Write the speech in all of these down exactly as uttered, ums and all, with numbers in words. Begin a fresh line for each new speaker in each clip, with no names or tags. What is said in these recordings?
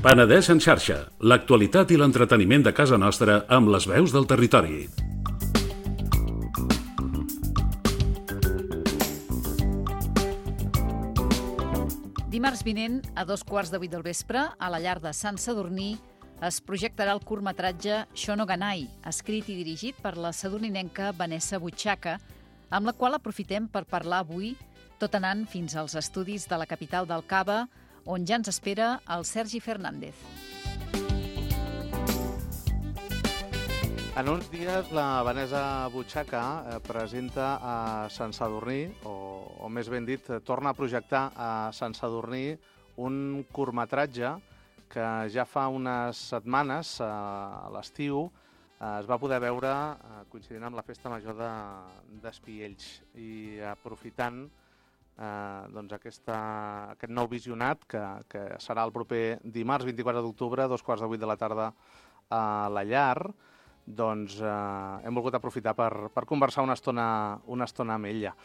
Penedès en xarxa, l'actualitat i l'entreteniment de casa nostra amb les veus del territori.
Dimarts vinent, a dos quarts de vuit del vespre, a la llar de Sant Sadurní, es projectarà el curtmetratge Shonoganai, escrit i dirigit per la sadurninenca Vanessa Butxaca, amb la qual aprofitem per parlar avui, tot anant fins als estudis de la capital del Cava, on ja ens espera el Sergi Fernández.
En uns dies la Vanessa Butxaca presenta a Sant Sadurní, o, o més ben dit, torna a projectar a Sant Sadurní un curtmetratge que ja fa unes setmanes, a l'estiu, es va poder veure coincidint amb la Festa Major d'Espiells. I aprofitant Eh, doncs aquesta, aquest nou visionat que, que serà el proper dimarts vint-i-quatre d'octubre a dos quarts de vuit de la tarda a la llar, doncs eh, hem volgut aprofitar per, per conversar una estona, una estona amb ella.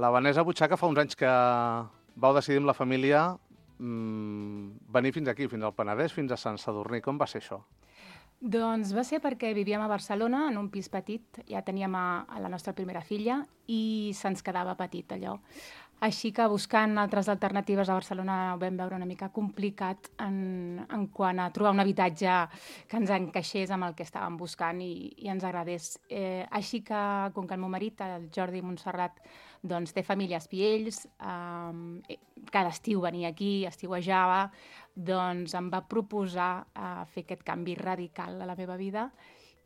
La Vanessa Butxaca fa uns anys que vau decidir amb la família mmm, venir fins aquí, fins al Penedès, fins a Sant Sadurní. Com va ser això?
Doncs va ser perquè vivíem a Barcelona, en un pis petit, ja teníem a, a la nostra primera filla i se'ns quedava petit allò. Així que buscant altres alternatives a Barcelona ho vam veure una mica complicat en, en quant a trobar un habitatge que ens encaixés amb el que estàvem buscant i, i ens agradés. Eh, així que, com que el meu marit, el Jordi Montserrat, doncs, té família a Espiells, eh, cada estiu venia aquí, estiuejava, doncs em va proposar eh, fer aquest canvi radical a la meva vida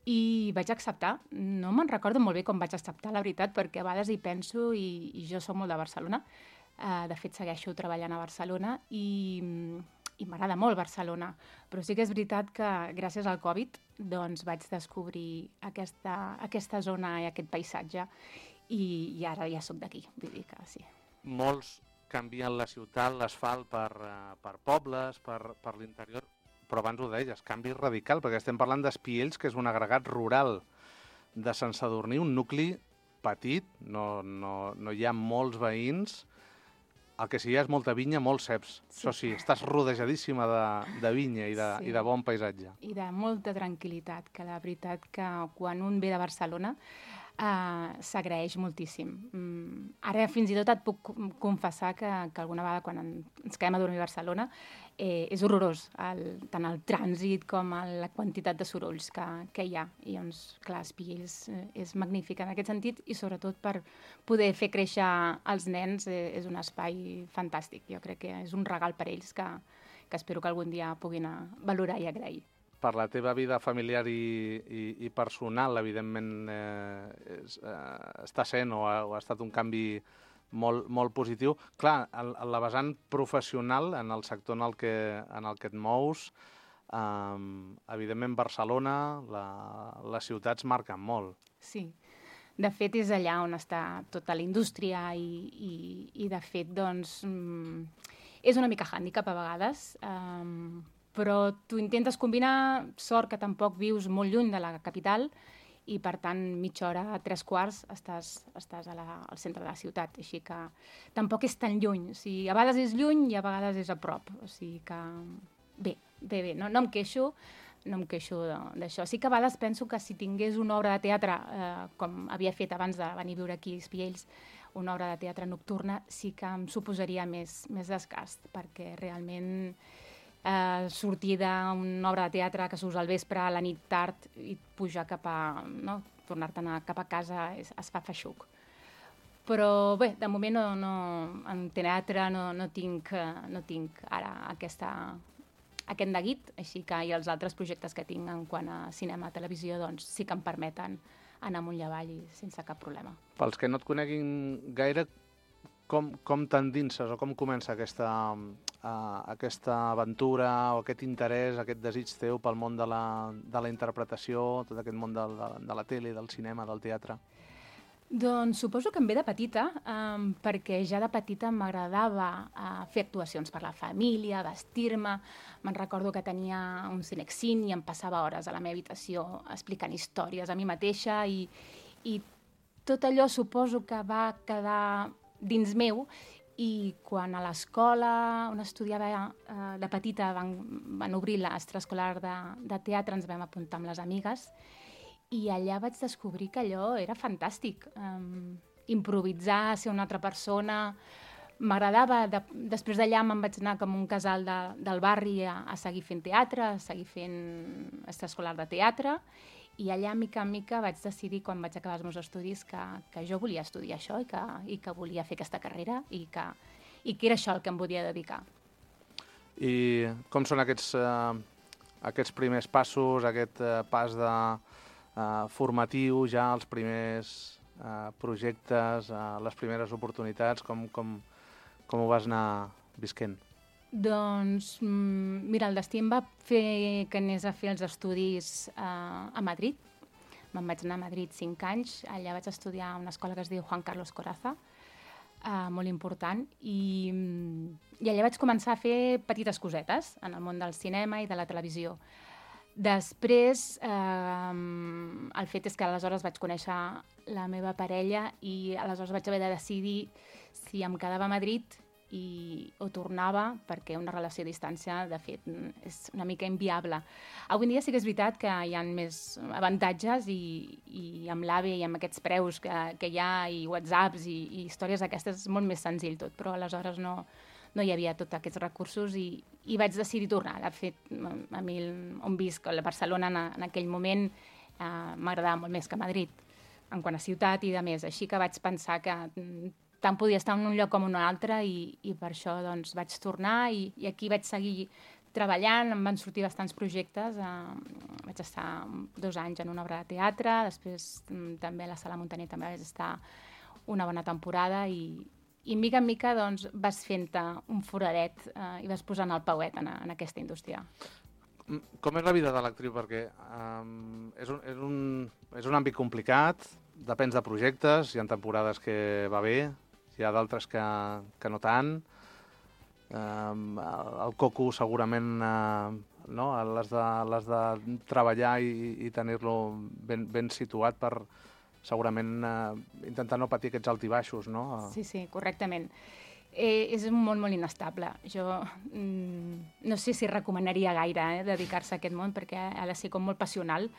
i vaig acceptar. No me'n recordo molt bé com vaig acceptar, la veritat, perquè a vegades hi penso i, i jo soc molt de Barcelona. Uh, de fet, segueixo treballant a Barcelona i, i m'agrada molt Barcelona. Però sí que és veritat que gràcies al Covid doncs, vaig descobrir aquesta, aquesta zona i aquest paisatge i, i ara ja soc d'aquí, vull dir que sí.
Molts canvien la ciutat, l'asfalt per, uh, per pobles, per, per l'interior, però abans ho deies, canvi radical, perquè estem parlant d'Espiells, que és un agregat rural de Sant Sadurní, un nucli petit, no, no, no hi ha molts veïns, el que sí hi ha és molta vinya, molts ceps. Sí. Això sí, estàs rodejadíssima de, de vinya i de, sí. i de bon paisatge.
I de molta tranquil·litat, que la veritat que quan un ve de Barcelona Uh, s'agraeix moltíssim. Mm, ara fins i tot et puc confessar que, que alguna vegada quan ens quedem a dormir a Barcelona eh, és horrorós, el, tant el trànsit com el, la quantitat de sorolls que, que hi ha. I doncs, clar, Espiells eh, és magnífic en aquest sentit i sobretot per poder fer créixer els nens eh, és un espai fantàstic. Jo crec que és un regal per ells que, que espero que algun dia puguin valorar i agrair.
Per la teva vida familiar i, i, i personal, evidentment, eh, és, eh, està sent o ha, o ha estat un canvi molt, molt positiu. Clar, en, en la vessant professional, en el sector en el que, en el que et mous, eh, evidentment Barcelona, la, les ciutats marquen molt.
Sí, de fet és allà on està tota la indústria i, i, i de fet, doncs, és una mica hàndicap a vegades, eh, però tu intentes combinar, sort que tampoc vius molt lluny de la capital i, per tant, mitja hora, tres quarts, estàs, estàs a la, al centre de la ciutat. Així que tampoc és tan lluny. O sigui, a vegades és lluny i a vegades és a prop. O sigui que bé, bé, bé. No, no em queixo, no em queixo d'això. Sí que a vegades penso que si tingués una obra de teatre, eh, com havia fet abans de venir a viure aquí a Espiells, una obra de teatre nocturna, sí que em suposaria més, més desgast, perquè realment Eh, sortir d'una obra de teatre que surts al vespre, a la nit tard i pujar cap a, no, tornar-te'n cap a casa es, es fa feixuc. Però bé, de moment no, no, en teatre no, no, tinc, no tinc ara aquesta, aquest neguit, així que i els altres projectes que tinc en quant a cinema, televisió, doncs sí que em permeten anar amunt i avall i sense cap problema.
Pels que no et coneguin gaire, com, com t'endinses o com comença aquesta, uh, aquesta aventura o aquest interès, aquest desig teu pel món de la, de la interpretació, tot aquest món de la, de la tele, del cinema, del teatre?
Doncs suposo que em ve de petita, um, perquè ja de petita m'agradava uh, fer actuacions per la família, vestir-me. Me'n recordo que tenia un cinexin i em passava hores a la meva habitació explicant històries a mi mateixa i, i tot allò suposo que va quedar dins meu i quan a l'escola on estudiava uh, de petita van, van obrir l'extraescolar de, de teatre, ens vam apuntar amb les amigues i allà vaig descobrir que allò era fantàstic. Um, improvisar, ser una altra persona. M'agradava. De, després d'allà me'n vaig anar com un casal de, del barri a, a seguir fent teatre, a seguir fent extraescolar de teatre. I allà, mica en mica, vaig decidir, quan vaig acabar els meus estudis, que, que jo volia estudiar això i que, i que volia fer aquesta carrera i que, i que era això el que em volia dedicar.
I com són aquests, eh, aquests primers passos, aquest eh, pas de... Uh, formatiu, ja els primers uh, projectes, uh, les primeres oportunitats, com, com, com ho vas anar visquent?
Doncs, mm, mira, el destí em va fer que anés a fer els estudis uh, a Madrid. Me'n vaig anar a Madrid cinc anys, allà vaig estudiar a una escola que es diu Juan Carlos Corazza, uh, molt important, i, i allà vaig començar a fer petites cosetes en el món del cinema i de la televisió. Després, eh, el fet és que aleshores vaig conèixer la meva parella i aleshores vaig haver de decidir si em quedava a Madrid i, o tornava, perquè una relació a distància, de fet, és una mica inviable. Avui en dia sí que és veritat que hi ha més avantatges i, i amb l'A V E i amb aquests preus que, que hi ha i whatsapps i, i històries aquestes és molt més senzill tot, però aleshores no... no hi havia tots aquests recursos i, i vaig decidir tornar. De fet, a mi on visc, a Barcelona, en, en aquell moment, eh, m'agradava molt més que Madrid, en quant a ciutat i de més. Així que vaig pensar que tant podia estar en un lloc com en un altre i, i per això doncs, vaig tornar i, i aquí vaig seguir treballant, em van sortir bastants projectes. Eh, vaig estar dos anys en una obra de teatre, després també a la Sala Muntaner també vaig estar una bona temporada i I mica en mica doncs, vas fent-te un foradet eh, i vas posant el pauet en, en aquesta indústria.
Com és la vida de l'actriu? Perquè um, és, un, és, un, és un àmbit complicat, depèn de projectes, hi ha temporades que va bé, hi ha d'altres que, que no tant. Um, el, el coco segurament uh, no? l'has de, l'has de treballar i, i tenir-lo ben, ben situat per... segurament eh, intentar no patir aquests altibaixos, no?
Sí, sí, correctament. Eh, és un món molt inestable. Jo mm, no sé si recomanaria gaire eh, dedicar-se a aquest món perquè ha de ser com molt passional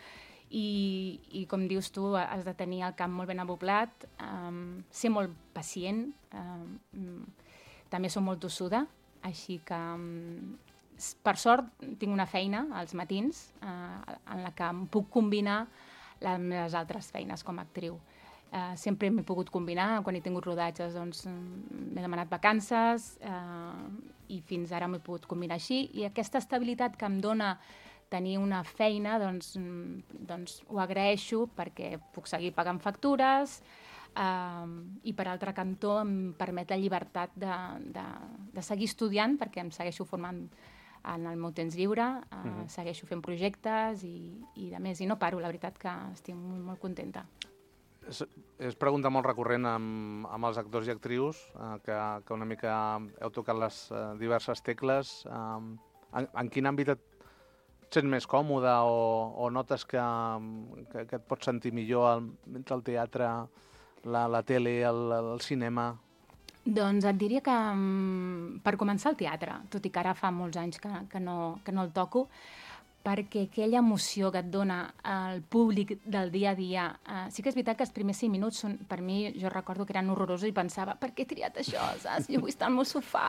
i, i com dius tu, has de tenir el camp molt ben aboblat, um, ser molt pacient, um, també som molt tossuda, així que um, per sort tinc una feina als matins uh, en la que em puc combinar les meves altres feines com a actriu. Uh, sempre m'he pogut combinar, quan he tingut rodatges doncs, m'he demanat vacances uh, i fins ara m'he pogut combinar així i aquesta estabilitat que em dona tenir una feina doncs, doncs ho agraeixo perquè puc seguir pagant factures uh, i per altre cantó em permet la llibertat de, de, de seguir estudiant perquè em segueixo formant en el meu temps lliure, uh, uh-huh. segueixo fent projectes i, i de més. I no paro, la veritat que estic molt, molt contenta.
És, és pregunta molt recurrent amb, amb els actors i actrius, eh, que, que una mica heu tocat les eh, diverses tecles. Eh, en, en quin àmbit et sents més còmode o, o notes que, que, que et pots sentir millor el, entre el teatre, la, la tele, el, el cinema?
Doncs et diria que per començar el teatre, tot i que ara fa molts anys que, que, no, que no el toco, perquè aquella emoció que et dona el públic del dia a dia, eh, sí que és veritat que els primers cinc minuts són, per mi, jo recordo que eren horrorosos i pensava, per què he triat això, saps? Jo vull estar al meu sofà.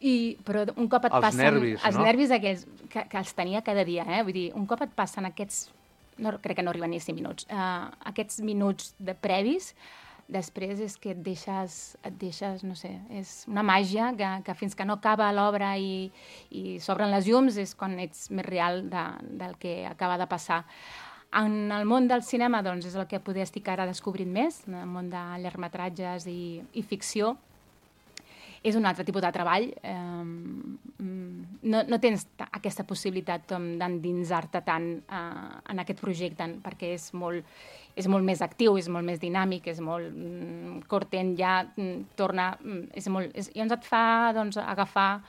I, però un cop et
els
passen...
Nervis,
els
no?
nervis aquells, que, que els tenia cada dia, eh? Vull dir, un cop et passen aquests... No, crec que no arriben ni cinc minuts. Uh, aquests minuts de previs, després és que et deixes, et deixes, no sé, és una màgia que, que fins que no acaba l'obra i, i s'obren les llums és quan ets més real de, del que acaba de passar. En el món del cinema, doncs, és el que poder estic ara descobrint més, en el món de llargmetratges i, i ficció. és un altre tipus de treball. Eh, no, no tens aquesta possibilitat d'endinsar-te tant eh, en aquest projecte, perquè és molt, és molt més actiu, és molt més dinàmic, és molt mm, cortent, ja mm, torna... Mm, és molt, és, llavors et fa doncs, agafar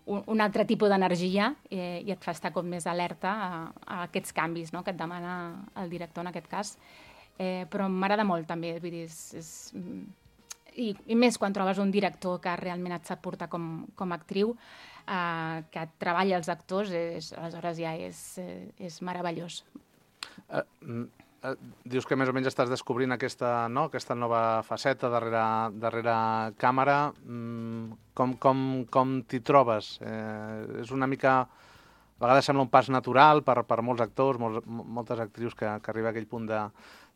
un, un altre tipus d'energia eh, i et fa estar com més alerta a, a aquests canvis, no?, que et demana el director en aquest cas. Eh, però m'agrada molt també, vull dir, és... és I, i més quan trobes un director que realment et sap portar com, com a actriu, eh, que et treballa els actors, és, aleshores ja és, eh, és meravellós.
Uh, uh, dius que més o menys estàs descobrint aquesta, no? aquesta nova faceta darrere, darrere càmera. Mm, com com, com t'hi trobes? Eh, és una mica... A vegades sembla un pas natural per, per molts actors, molts, moltes actrius que, que arriba a aquell punt de,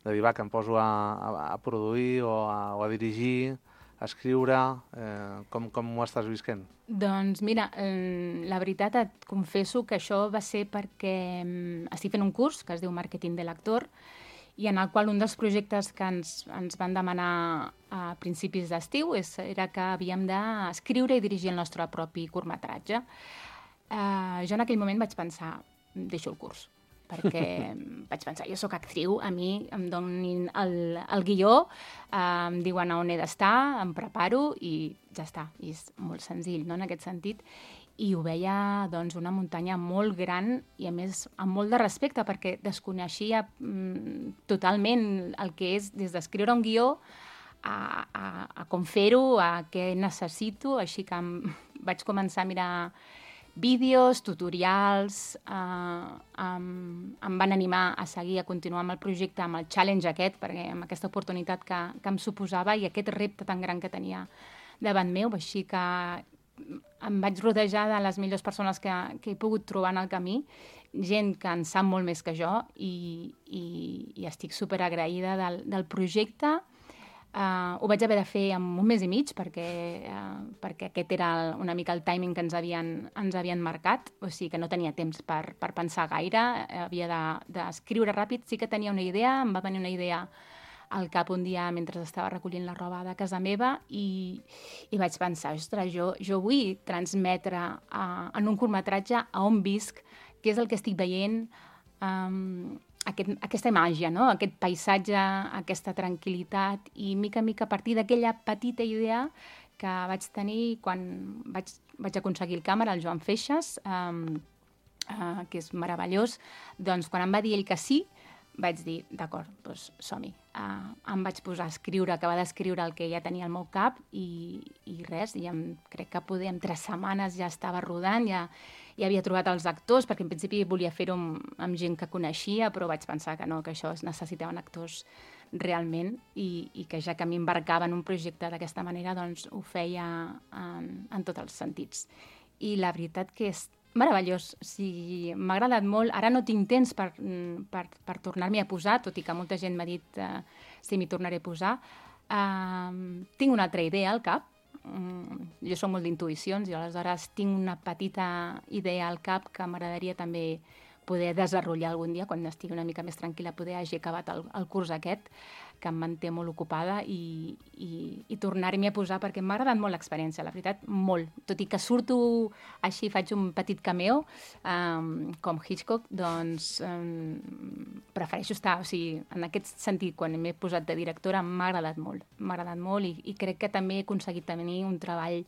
de dir, va, que em poso a, a, a produir o a, o a dirigir, a escriure. Eh, com, com ho estàs visquent?
Doncs mira, eh, la veritat et confesso que això va ser perquè eh, estic fent un curs que es diu Màrqueting de l'actor i en el qual un dels projectes que ens, ens van demanar a principis d'estiu és, era que havíem d'escriure i dirigir el nostre propi curtmetratge. Uh, jo en aquell moment vaig pensar, deixo el curs, perquè vaig pensar, jo sóc actriu, a mi em donin el, el guió, uh, em diuen on he d'estar, em preparo i ja està. I és molt senzill, no?, en aquest sentit. I ho veia, doncs, una muntanya molt gran i, a més, amb molt de respecte, perquè desconeixia mm, totalment el que és des d'escriure un guió a, a, a com fer-ho, a què necessito, així que em, vaig començar a mirar vídeos, tutorials, eh, em, em van animar a seguir, a continuar amb el projecte, amb el challenge aquest, perquè amb aquesta oportunitat que, que em suposava i aquest repte tan gran que tenia davant meu, així que em vaig rodejar de les millors persones que, que he pogut trobar en el camí, gent que en sap molt més que jo i, i, i estic superagraïda del, del projecte. Uh, ho vaig haver de fer en un mes i mig perquè, uh, perquè aquest era el, una mica el timing que ens havien, ens havien marcat, o sigui que no tenia temps per, per pensar gaire, havia d'escriure de, ràpid, sí que tenia una idea, em va venir una idea al cap un dia mentre estava recollint la roba de casa meva i, i vaig pensar, ostres, jo, jo vull transmetre uh, en un curtmetratge a on visc, què és el que estic veient, um, Aquest, aquesta màgia, no?, aquest paisatge, aquesta tranquil·litat i mica en mica a partir d'aquella petita idea que vaig tenir quan vaig, vaig aconseguir el càmera, el Joan Feixas, um, uh, que és meravellós, doncs quan em va dir ell que sí, vaig dir, d'acord, doncs som-hi. Uh, em vaig posar a escriure, acabar d'escriure el que ja tenia al meu cap i, i res, i em, crec que poder, en tres setmanes ja estava rodant, ja, ja havia trobat els actors, perquè en principi volia fer-ho amb, amb gent que coneixia, però vaig pensar que no, que això es necessitaven actors realment i, i que ja que m'embarcava en un projecte d'aquesta manera, doncs ho feia en, en tots els sentits. I la veritat que és meravellós, o sigui, m'ha agradat molt. Ara no tinc temps per, per, per tornar-m'hi a posar, tot i que molta gent m'ha dit uh, si m'hi tornaré a posar. Uh, tinc una altra idea al cap. Uh, jo soc molt d'intuïcions i aleshores tinc una petita idea al cap que m'agradaria també poder desenvolupar algun dia, quan estigui una mica més tranquil·la, poder hagi acabat el, el curs aquest, que em manté molt ocupada, i, i, i tornar-m'hi a posar, perquè m'ha agradat molt l'experiència, la veritat, molt. Tot i que surto així, faig un petit cameo, um, com Hitchcock, doncs um, prefereixo estar, o sigui, en aquest sentit, quan m'he posat de directora, m'ha agradat molt, m'ha agradat molt, i, i crec que també he aconseguit tenir un treball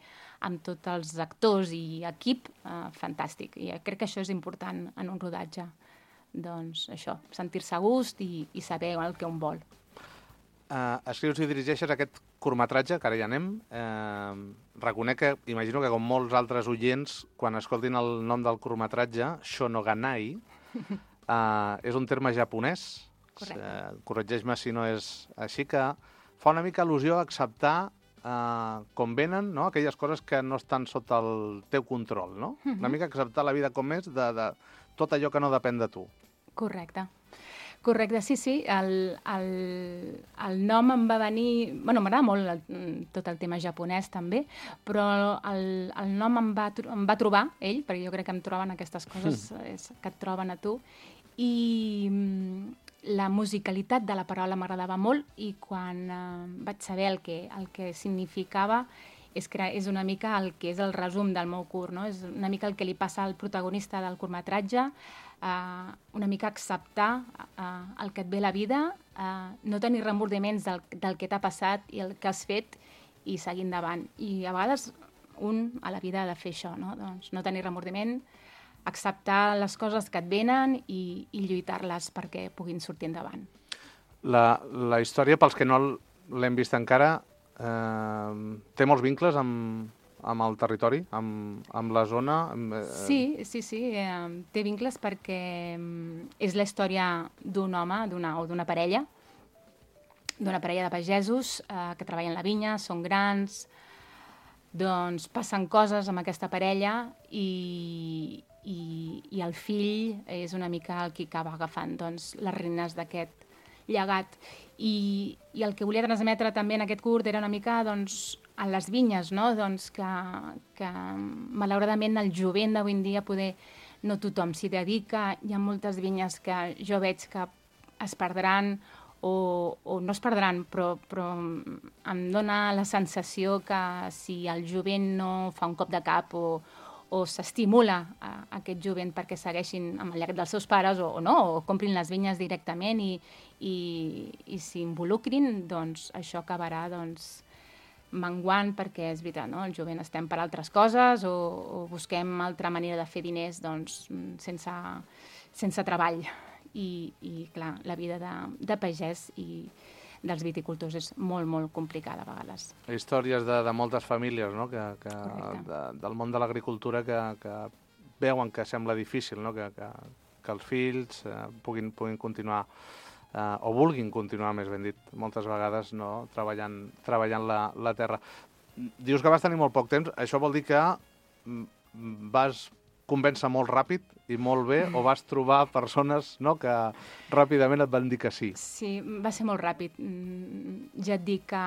amb tots els actors i equip uh, fantàstic. I crec que això és important en un rodatge. Doncs això, sentir-se a gust i, i saber el que un vol.
Uh, escrius i dirigeixes aquest curtmetratge, que ara ja anem. Uh, reconec que, imagino que com molts altres oients, quan escoltin el nom del curtmetratge, Shonoganai, uh, és un terme japonès.
Correcte.
Uh, corregeix-me si no és així, que fa una mica al·lusió a acceptar Uh, com venen, no?, aquelles coses que no estan sota el teu control, no? Uh-huh. Una mica acceptar la vida com és, de, de tot allò que no depèn de tu.
Correcte. Correcte, sí, sí. El, el, el nom em va venir... Bueno, m'agrada molt el, tot el tema japonès, també, però el, el nom em va, em va trobar ell, perquè jo crec que em troben aquestes coses mm. és, que et troben a tu, i la musicalitat de la paraula m'agradava molt, i quan eh, vaig saber el que, el que significava és, és una mica el que és el resum del meu curt, no? És una mica el que li passa al protagonista del curtmetratge, uh, una mica acceptar uh, el que et ve la vida, uh, no tenir remordiments del, del que t'ha passat i el que has fet i seguir endavant. I a vegades un a la vida ha de fer això, no? Doncs no tenir remordiment, acceptar les coses que et venen i, i lluitar-les perquè puguin sortir endavant.
La, la història, pels que no l'hem vist encara, eh, té molts vincles amb, amb el territori, amb, amb la zona? Amb, eh...
Sí, sí, sí, eh, té vincles perquè és la història d'un home d'una o d'una parella, d'una parella de pagesos eh, que treballen la vinya, són grans, doncs passen coses amb aquesta parella i, i, i el fill és una mica el que acaba agafant doncs, les regnes d'aquest llegat. I, I el que volia transmetre també en aquest curt era una mica doncs, a les vinyes, no? Doncs que, que malauradament el jovent d'avui en dia poder no tothom s'hi dedica, hi ha moltes vinyes que jo veig que es perdran o, o no es perdran, però, però em dona la sensació que si el jovent no fa un cop de cap o, o s'estimula a, a aquest jovent perquè segueixin amb el llegat dels seus pares o, o no, o comprin les vinyes directament i, i, i s'involucrin, doncs això acabarà doncs, menguant perquè és veritat, no? El jovent estem per altres coses o, o busquem altra manera de fer diners doncs, sense, sense treball. I, i clar, la vida de, de pagès i dels viticultors és molt, molt complicada a vegades.
Històries de, de moltes famílies, no? que, que, de, del món de l'agricultura que, que veuen que sembla difícil, no? que, que, que els fills eh, puguin, puguin continuar eh, o vulguin continuar, més ben dit, moltes vegades no? treballant, treballant la, la terra. Dius que vas tenir molt poc temps, això vol dir que vas convèncer molt ràpid i molt bé, o vas trobar persones no, que ràpidament et van dir que sí?
Sí, va ser molt ràpid. Ja et dic que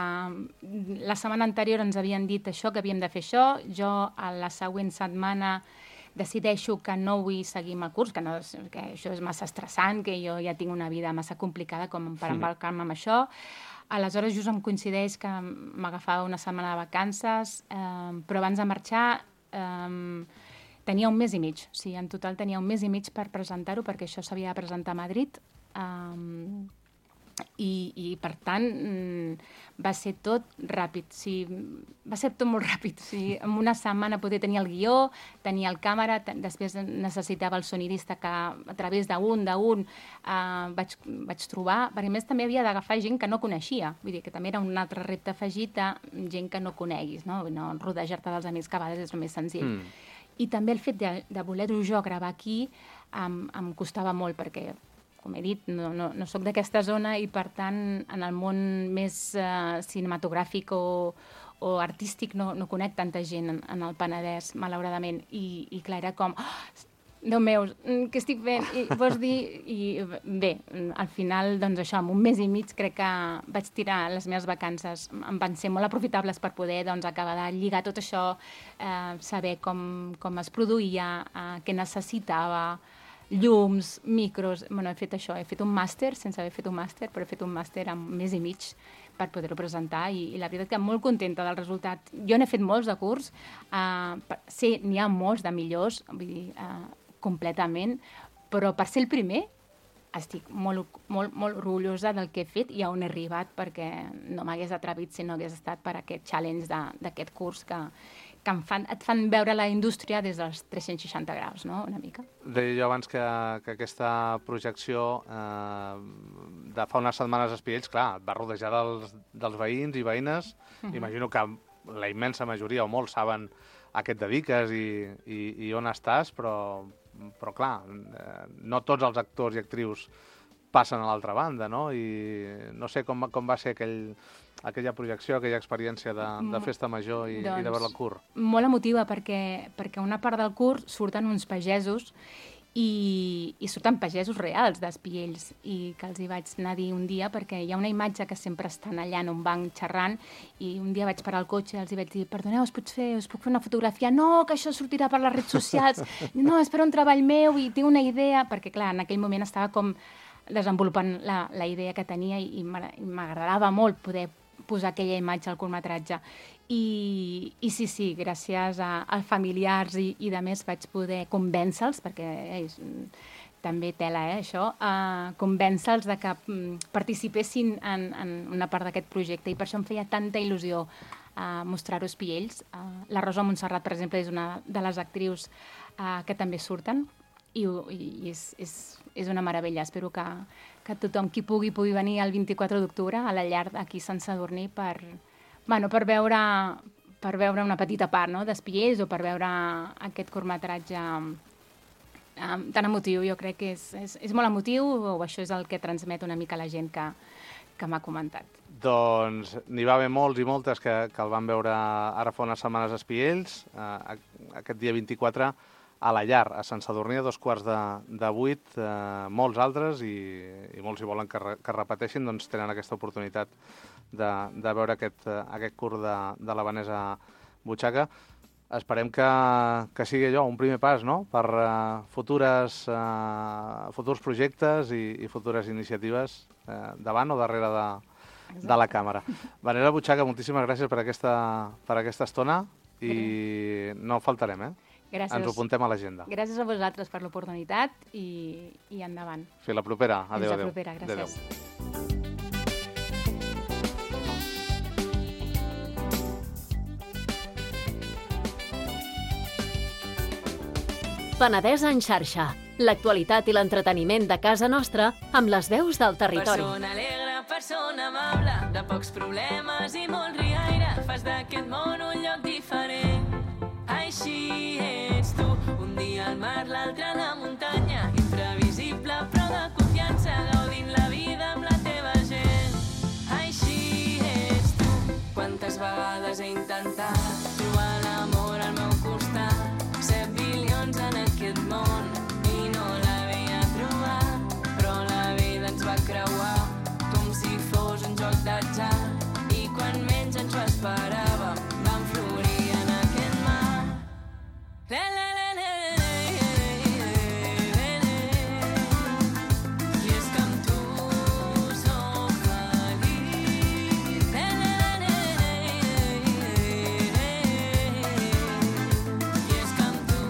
la setmana anterior ens havien dit això, que havíem de fer això. Jo, a la següent setmana, decideixo que no vull seguir amb el curs, que, no, que això és massa estressant, que jo ja tinc una vida massa complicada com per embarcar-me amb això. Aleshores, just em coincideix que m'agafava una setmana de vacances, eh, però abans de marxar eh, tenia un mes i mig. O sigui, en total tenia un mes i mig per presentar-ho, perquè això s'havia de presentar a Madrid. Eh, i, i, per tant, va ser tot ràpid. O sigui, va ser tot molt ràpid. O sigui, en una setmana poder tenir el guió, tenir el càmera, després necessitava el sonidista que a través d'un, d'un, eh, vaig, vaig trobar, perquè a més també havia d'agafar gent que no coneixia. Vull dir que també era un altre repte afegit de gent que no coneguis, no? No rodejar-te dels amics, que a vegades és el més senzill. Mm. I també el fet de, de voler-ho jo gravar aquí em, em costava molt, perquè com he dit, no, no, no soc d'aquesta zona i, per tant, en el món més uh, cinematogràfic o, o artístic no, no conec tanta gent en, en el Penedès, malauradament. I, i clar, era com, oh, Déu meu, què estic fent? I vols dir... I bé, al final, doncs això, en un mes i mig crec que vaig tirar les meves vacances. Em van ser molt aprofitables per poder doncs, acabar de lligar tot això, eh, saber com, com es produïa, eh, què necessitava, llums, micros... Bueno, he fet això, he fet un màster, sense haver fet un màster, però he fet un màster en un mes i mig per poder-ho presentar i, i la veritat que molt contenta del resultat. Jo n'he fet molts de curs, eh, sí, n'hi ha molts de millors, vull dir, eh, completament, però per ser el primer estic molt, molt, molt orgullosa del que he fet i on he arribat, perquè no m'hagués atrevit si no hagués estat per aquest challenge d'aquest curs que, que em fan, et fan veure la indústria des dels tres-cents seixanta graus, no?, una mica.
Deia jo abans que, que aquesta projecció eh, de fa unes setmanes a Espiells, clar, et va rodejar dels, dels veïns i veïnes. Uh-huh. Imagino que la immensa majoria o molts saben a què et dediques i, i, i on estàs, però, però clar, eh, no tots els actors i actrius passen a l'altra banda, no? I no sé com, com va ser aquell, aquella projecció, aquella experiència de, de festa major i, doncs, i de veure el curt.
Molt emotiva, perquè, perquè una part del curt surten uns pagesos i, i surten pagesos reals d'Espiells i que els hi vaig anar a dir un dia, perquè hi ha una imatge que sempre estan allà en un banc xerrant i un dia vaig parar el cotxe i els hi vaig dir, perdoneu, us puc fer, us puc fer una fotografia? No, que això sortirà per les redes socials. No, és per un treball meu i tinc una idea, perquè clar, en aquell moment estava com desenvolupant la, la idea que tenia i, i m'agradava molt poder posar aquella imatge al curtmetratge. I, i sí, sí, gràcies a, a familiars i, i de més vaig poder convèncer-los, perquè és, també tela, eh, això, uh, convèncer-los de que um, participessin en, en una part d'aquest projecte, i per això em feia tanta il·lusió uh, mostrar-ho espiells. Uh, la Rosa Montserrat, per exemple, és una de les actrius uh, que també surten, i, i és, és, és una meravella. Espero que, que tothom qui pugui pugui venir el vint-i-quatre d'octubre a la llar aquí a Sant Sadurní per, bueno, per, veure, per veure una petita part, no?, d'espiells, o per veure aquest curtmetratge um, tan emotiu. Jo crec que és, és, és molt emotiu, o això és el que transmet una mica la gent que, que m'ha comentat.
Doncs n'hi va haver molts i moltes que, que el van veure ara fa unes setmanes a Espiells, eh, aquest dia vint-i-quatre, a la llar, a Sant Sadurní, a dos quarts de, de vuit. Eh, molts altres, i, i molts si volen que, re, que repeteixin, doncs tenen aquesta oportunitat de, de veure aquest, aquest curt de, de la Vanessa Butxaca. Esperem que, que sigui allò, un primer pas, no?, per uh, futures, uh, futurs projectes i, i futures iniciatives uh, davant o darrere de, de la càmera. Vanessa Butxaca, moltíssimes gràcies per aquesta, per aquesta estona, i no faltarem, eh?
Gràcies.
Ens ho apuntem a l'agenda.
Gràcies a vosaltres per l'oportunitat, i, i endavant.
Fins la propera. Adéu,
Fins la
adéu.
propera, gràcies.
Adéu. Penedès en xarxa. L'actualitat i l'entreteniment de casa nostra amb les veus del territori.
Persona alegre, persona amable, de pocs problemes i molt riaire, fas d'aquest món un lloc diferent. Així ets tu, un dia al mar, l'altre a la muntanya, imprevisible però de confiança, gaudint la vida amb la teva gent. Així ets tu, quantes vegades he intentat trobar l'amor al meu costat, set bilions en aquest món i no l'havia trobat, però la vida ens va creuar com si fos un joc d'atzar, i quan menys ens ho esperàvem vam florir en aquest mar. La, la, la, la, la, la, la. I és que amb tu soc feliç. La, la, la, la, la, la. I és que amb tu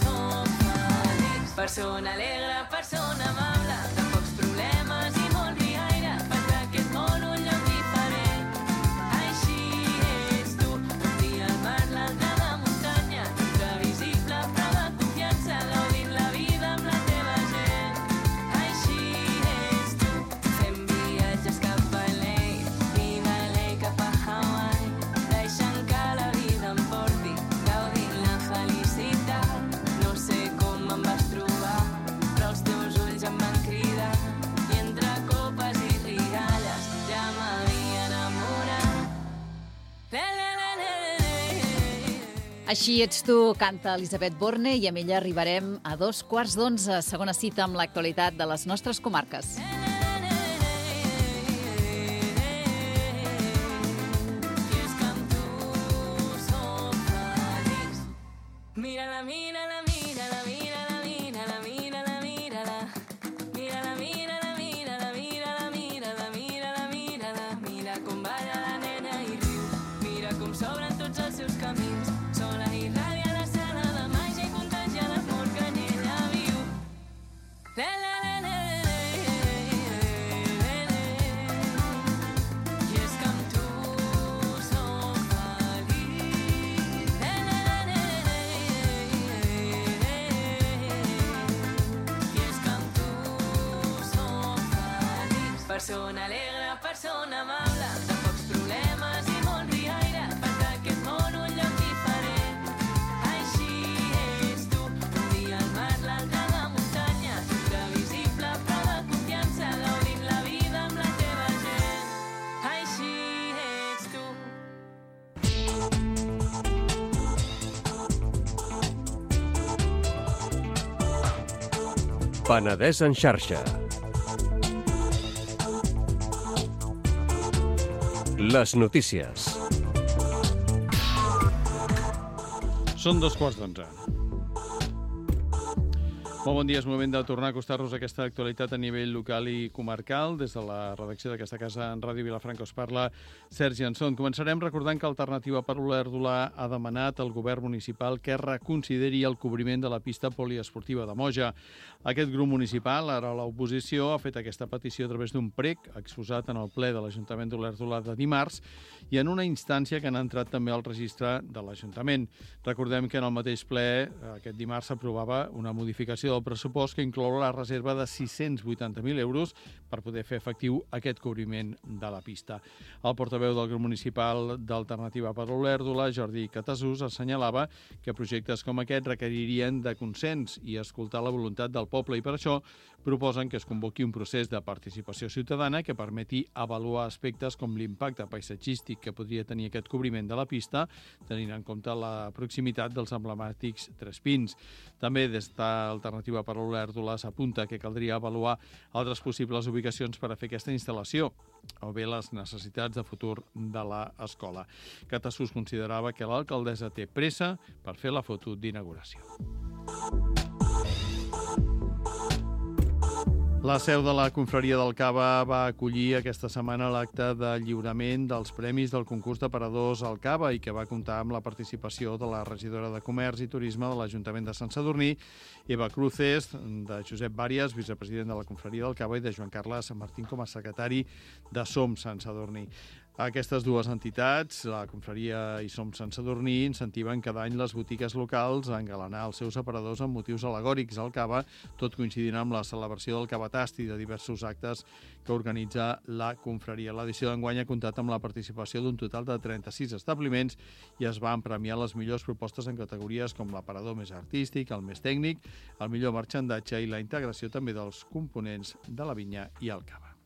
soc feliç. Persona alegre, persona amable, de pocs problemes i molt riaire, fas d'aquest món un lloc diferent. Així ets tu, un dia al mar, l'altre a la muntanya, imprevisible però de confiança, gaudint la vida amb la teva gent. Així ets tu, fent viatges cap a L A i de L A cap a Hawaii, deixant que la vida em porti, gaudint la felicitat. No sé com em vas trobar, però els teus ulls em van cridar, i entre copes i rialles ja m'havia enamorat. La, la, la, la, la, la.
Així ets tu, canta Elisabet Borne, i amb ella arribarem a dos quarts d'onze, segona cita amb l'actualitat de les nostres comarques.
I és que amb tu soc feliç. Mira-la, mira-la, mira-la, mira-la, mira-la, mira-la, mira-la. Mira-la, mira-la, mira-la, mira-la, mira-la, mira-la, mira-la. Mira com balla la nena i riu, mira com s'obren tots els seus camins. Sola i ràdia la sala de màgia i contagia l'amor que en ella viu. La, la, la, la, la, la, la. I és que amb tu soc feliç. La, la, la, la, la, la. I és que amb tu soc feliç. Persona alegre, persona amable, de pocs problemes i molt riaire, fas d'aquest món un lloc diferent. Així ets tu, un dia al mar, l'altre a la muntanya, imprevisible però de confiança, gaudint la vida amb la teva gent. Així ets tu.
Penedès en xarxa. Les notícies.
Són dos quarts d'onze. Molt bon dia, és moment de tornar a acostar-nos a aquesta actualitat a nivell local i comarcal. Des de la redacció d'aquesta casa en Ràdio Vilafranca us parla Sergi Anson. Començarem recordant que Alternativa per Olèrdola ha demanat al govern municipal que reconsideri el cobriment de la pista poliesportiva de Moja. Aquest grup municipal, ara a l'oposició, ha fet aquesta petició a través d'un prec exposat en el ple de l'Ajuntament d'Olèrdola de dimarts i en una instància que han entrat també al registre de l'Ajuntament. Recordem que en el mateix ple, aquest dimarts, s'aprovava una modificació del pressupost que inclou la reserva de sis-cents vuitanta mil euros per poder fer efectiu aquest cobriment de la pista. El portaveu del grup municipal d'Alternativa per Olèrdola, Jordi Catasús, assenyalava que projectes com aquest requeririen de consens i escoltar la voluntat del poble i per això proposen que es convoqui un procés de participació ciutadana que permeti avaluar aspectes com l'impacte paisatgístic que podria tenir aquest cobriment de la pista, tenint en compte la proximitat dels emblemàtics Tres Pins. També des d'Alternativa per Olèrdola s'apunta que caldria avaluar altres possibles ubicacions per a fer aquesta instal·lació o bé les necessitats de futur de l'escola. Catasús considerava que l'alcaldessa té pressa per fer la foto d'inauguració. La seu de la Confraria del Cava va acollir aquesta setmana l'acte de lliurament dels premis del concurs d'aparadors al Cava i que va comptar amb la participació de la regidora de Comerç i Turisme de l'Ajuntament de Sant Sadurní, Eva Cruces, de Josep Bàrias, vicepresident de la Confraria del Cava, i de Joan Carles Martín com a secretari de Som Sant Sadurní. Aquestes dues entitats, la Confraria i Som Sant Sadurní, incentiven cada any les botigues locals a engalanar els seus aparadors amb motius al·legòrics al Cava, tot coincidint amb la celebració del Cavatast i de diversos actes que organitza la Confraria. L'edició d'enguany ha comptat amb la participació d'un total de trenta-sis establiments i es van premiar les millors propostes en categories com l'aparador més artístic, el més tècnic, el millor marxandatge i la integració també dels components de la vinya i el cava.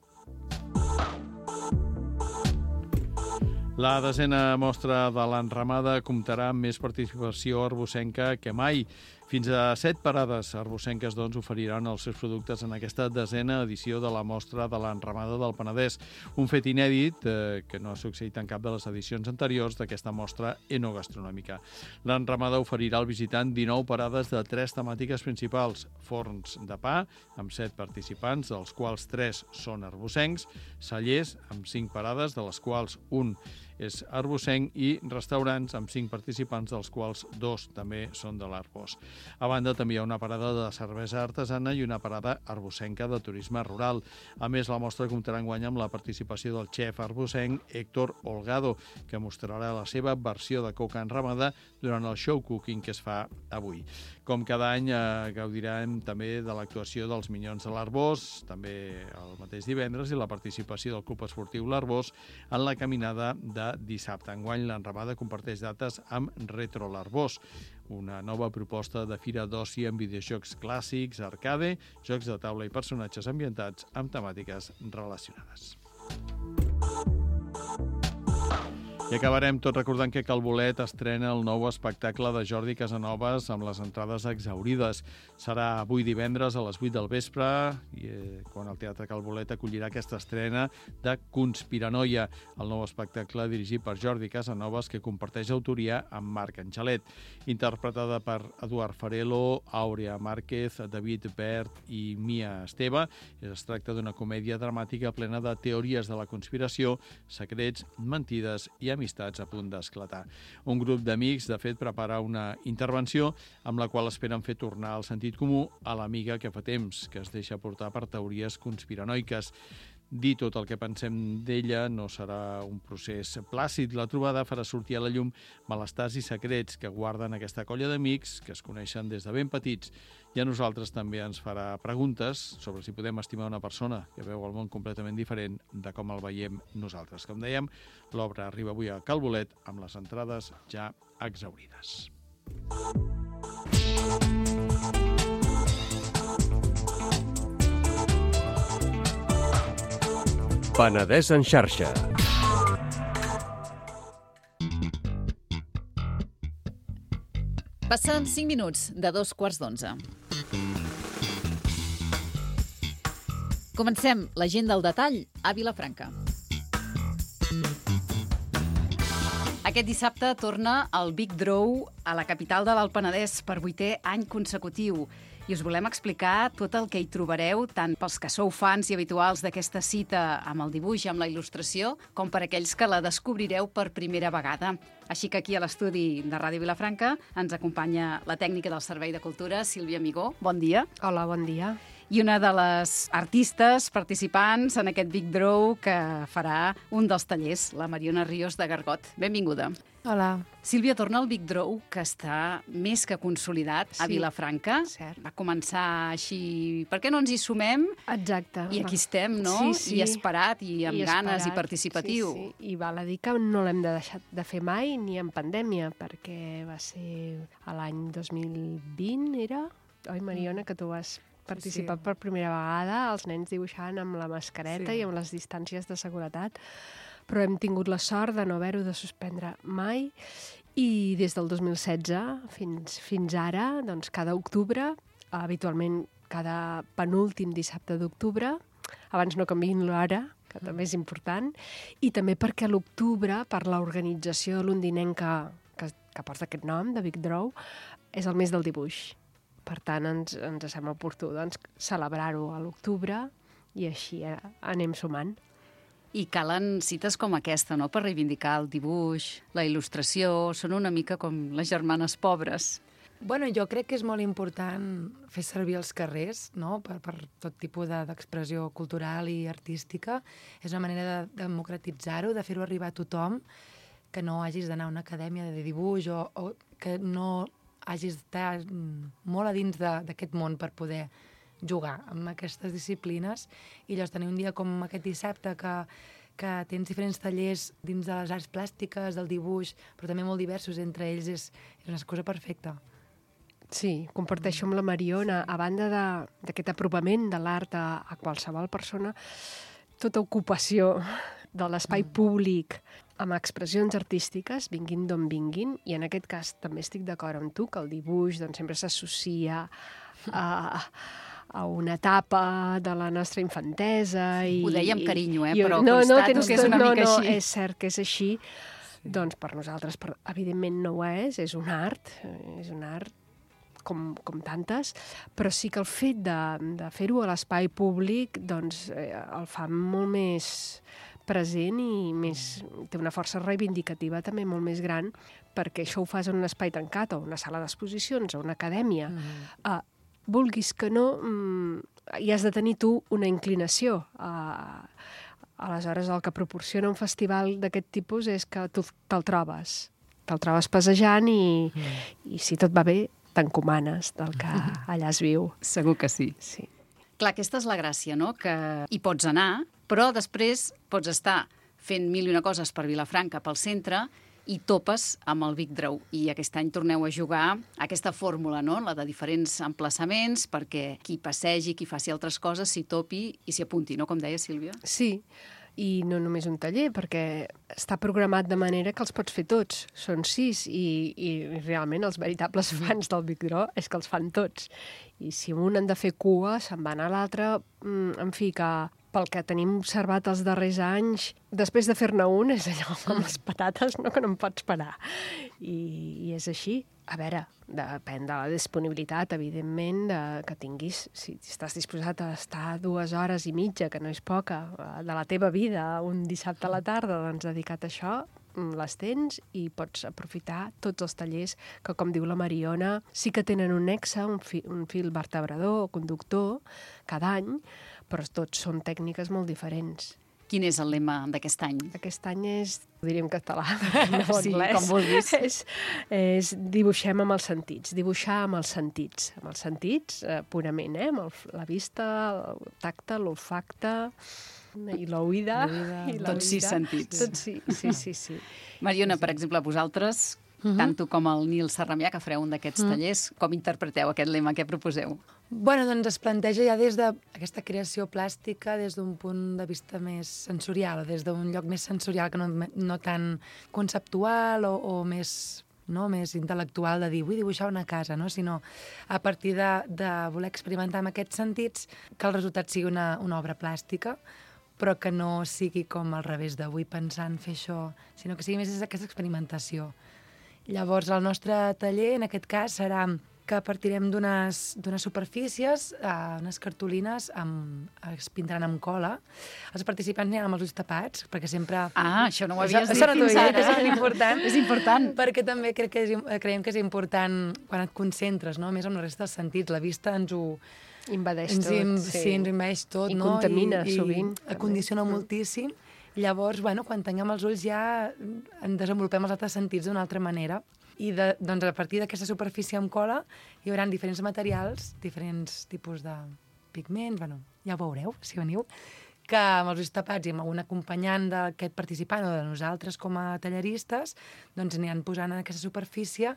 La desena mostra de l'enramada comptarà amb més participació arbocenca que mai. Fins a set parades arbocenques doncs, oferiran els seus productes en aquesta desena edició de la mostra de l'enramada del Penedès. Un fet inèdit eh, que no ha succeït en cap de les edicions anteriors d'aquesta mostra enogastronòmica. L'enramada oferirà al visitant dinou parades de tres temàtiques principals: forns de pa, amb set participants, dels quals tres són arbocencs, cellers, amb cinc parades, de les quals un és arbocenc, i restaurants amb cinc participants, dels quals dos també són de l'Arbós. A banda, també hi ha una parada de cervesa artesana i una parada arbocenca de turisme rural. A més, la mostra comptarà enguany amb la participació del xef arbocenc Héctor Holgado, que mostrarà la seva versió de coca enramada durant el show cooking que es fa avui. Com cada any, eh, gaudirem també de l'actuació dels Minyons de l'Arbós, també el mateix divendres, i la participació del Club Esportiu l'Arbós en la caminada de dissabte. Enguany, l'enramada comparteix dates amb Retro l'Arbós, una nova proposta de fira d'oci amb videojocs clàssics, arcade, jocs de taula i personatges ambientats amb temàtiques relacionades. I acabarem tot recordant que Calbolet estrena el nou espectacle de Jordi Casanovas amb les entrades exhaurides. Serà avui divendres a les vuit del vespre, i, eh, quan el Teatre Calbolet acollirà aquesta estrena de Conspiranoia, el nou espectacle dirigit per Jordi Casanovas que comparteix autoria amb Marc Angelet. Interpretada per Eduard Farelo, Àurea Márquez, David Bert i Mia Esteve, es tracta d'una comèdia dramàtica plena de teories de la conspiració, secrets, mentides i amistats a punt d'esclatar. Un grup d'amics, de fet, prepara una intervenció amb la qual esperen fer tornar el sentit comú a l'amiga que fa temps que es deixa portar per teories conspiranoiques. Dir tot el que pensem d'ella no serà un procés plàcid. La trobada farà sortir a la llum malestars i secrets que guarden aquesta colla d'amics que es coneixen des de ben petits. I a nosaltres també ens farà preguntes sobre si podem estimar una persona que veu el món completament diferent de com el veiem nosaltres. Com dèiem, l'obra arriba avui a Calbolet amb les entrades ja exhaurides.
Penedès en xarxa.
Passen cinc minuts de dos quarts d'onze. Comencem l'agenda al detall a Vilafranca. Aquest dissabte torna el Big Draw a la capital de l'Alt Penedès per vuitè any consecutiu. I us volem explicar tot el que hi trobareu, tant pels que sou fans i habituals d'aquesta cita amb el dibuix i amb la il·lustració, com per aquells que la descobrireu per primera vegada. Així que aquí a l'estudi de Ràdio Vilafranca ens acompanya la tècnica del Servei de Cultura, Sílvia Amigó. Bon dia.
Hola, bon dia.
I una de les artistes participants en aquest Big Draw que farà un dels tallers, la Mariona Ríos de Gargot. Benvinguda.
Hola.
Sílvia, torna al Big Draw, que està més que consolidat a
Sí,
Vilafranca.
cert.
Va començar així... Per què no ens hi sumem?
Exacte.
I aquí estem, no?
Sí, sí.
I esperat, i amb
I
ganes, i
esperat,
participatiu.
Sí, sí. I val a dir que no l'hem de deixar de fer mai, ni en pandèmia, perquè va ser a l'any dos mil vint, era? Oi, Mariona, que tu vas participar
sí.
per primera vegada, els nens dibuixant amb la mascareta
Sí.
i amb les distàncies de seguretat, però hem tingut la sort de no haver-ho de suspendre mai, i des del dos mil setze fins, fins ara, doncs cada octubre, habitualment cada penúltim dissabte d'octubre, abans no canviïn l'hora, que també és important, i també perquè a l'octubre, per l'organització londinenca que, que porta aquest nom, de Big Draw, és el mes del dibuix. Per tant, ens, ens sembla oportú doncs, celebrar-ho a l'octubre i així eh, anem sumant.
I calen cites com aquesta, no?, per reivindicar el dibuix, la il·lustració. Són una mica com les germanes pobres.
Bueno, jo crec que és molt important fer servir els carrers, no?, per, per tot tipus de, d'expressió cultural i artística. És una manera de democratitzar-ho, de fer-ho arribar a tothom, que no hagis d'anar a una acadèmia de dibuix o, o que no hagis d'estar molt a dins de, d'aquest món per poder jugar amb aquestes disciplines. I llavors tenir un dia com aquest dissabte que, que tens diferents tallers dins de les arts plàstiques, del dibuix, però també molt diversos entre ells, és, és una cosa perfecta.
Sí, comparteixo amb la Mariona, a banda de, d'aquest apropament de l'art a, a qualsevol persona, tota ocupació de l'espai públic amb expressions artístiques, vinguin d'on vinguin, i en aquest cas també estic d'acord amb tu, que el dibuix doncs, sempre s'associa a, a una etapa de la nostra infantesa. I,
Ho deia amb carinyo, eh?
i,
Però
no,
constato
no, tens,
que és una
no,
mica
no,
així.
És cert que és així. Sí. Doncs per nosaltres, per, evidentment no ho és, és un art, és un art com, com tantes, però sí que el fet de, de fer-ho a l'espai públic doncs, eh, el fa molt més present i més, té una força reivindicativa també molt més gran, perquè això ho fas en un espai tancat, o una sala d'exposicions, o una acadèmia. Mm. Uh, vulguis que no, mm, hi has de tenir tu una inclinació. Uh, aleshores, el que proporciona un festival d'aquest tipus és que tu te'l trobes. Te'l trobes passejant i, mm. i si tot va bé, t'encomanes del que allà es viu.
Segur que sí.
Sí.
Clar, aquesta és la gràcia, no?, que hi pots anar, però després pots estar fent mil i una coses per Vilafranca, pel centre, i topes amb el Big Draw. I aquest any torneu a jugar aquesta fórmula, no?, la de diferents emplaçaments, perquè qui passegi, qui faci altres coses, s'hi topi i s'hi apunti, no?, com deia Sílvia.
Sí, i no només un taller, perquè està programat de manera que els pots fer tots. Són sis, i, i realment els veritables fans del Big Draw és que els fan tots. I si un han de fer cua, se'n van a l'altre. En fi, que pel que tenim observat els darrers anys, després de fer-ne un, és allò com les patates, no?, que no em pots parar. I, i és així. A veure, depèn de la disponibilitat, evidentment, de, que tinguis. Si estàs disposat a estar dues hores i mitja, que no és poca, de la teva vida, un dissabte a la tarda, doncs dedicat a això, les tens i pots aprofitar tots els tallers que, com diu la Mariona, sí que tenen un nexe, un, fi, un fil vertebrador o conductor cada any, però tots són tècniques molt diferents.
Quin és el lema d'aquest any?
Aquest any és, ho diria en català, no
sí,
anglès.
Com vulguis.
És, és dibuixem amb els sentits, dibuixar amb els sentits. Amb els sentits, eh, purament, eh? Amb el, la vista, el tacte, l'olfacte i l'oïda.
Tots sis sentits.
Tots sí, sí, sí, sí.
Mariona, per exemple, vosaltres, uh-huh. tant tu com el Nil Sarramià, que fareu un d'aquests uh-huh. tallers, com interpreteu aquest lema? Què proposeu?
Bueno, doncs es planteja ja des d'aquesta creació plàstica des d'un punt de vista més sensorial, des d'un lloc més sensorial que no, no tan conceptual o, o més, no, més intel·lectual de dir vull dibuixar una casa, no? Sinó a partir de, de voler experimentar amb aquests sentits que el resultat sigui una, una obra plàstica, però que no sigui com al revés de vull pensar en fer això, sinó que sigui més aquesta experimentació. Llavors, el nostre taller, en aquest cas, serà que partirem d'unes superfícies, uh, unes cartolines, amb, es pintaran amb cola. Els participants aniran amb els ulls tapats, perquè sempre...
Ah, això no ho havies
això,
dit fins ara.
És important.
És important.
Perquè també crec que és, creiem que és important quan et concentres, no? Més amb la resta dels sentits. La vista ens ho...
Invadeix
ens
tot.
Im,
sí.
sí, ens invadeix tot,
I
no?
contamina,
I,
sovint.
I acondiciona mm. moltíssim. Llavors, bueno, quan tinguem els ulls ja en desenvolupem els altres sentits d'una altra manera. I de, doncs a partir d'aquesta superfície amb cola hi haurà diferents materials, diferents tipus de pigments, bueno, ja ho veureu, si veniu, que amb els ulls tapats i amb un acompanyant d'aquest participant o de nosaltres com a talleristes, doncs aniran posant en aquesta superfície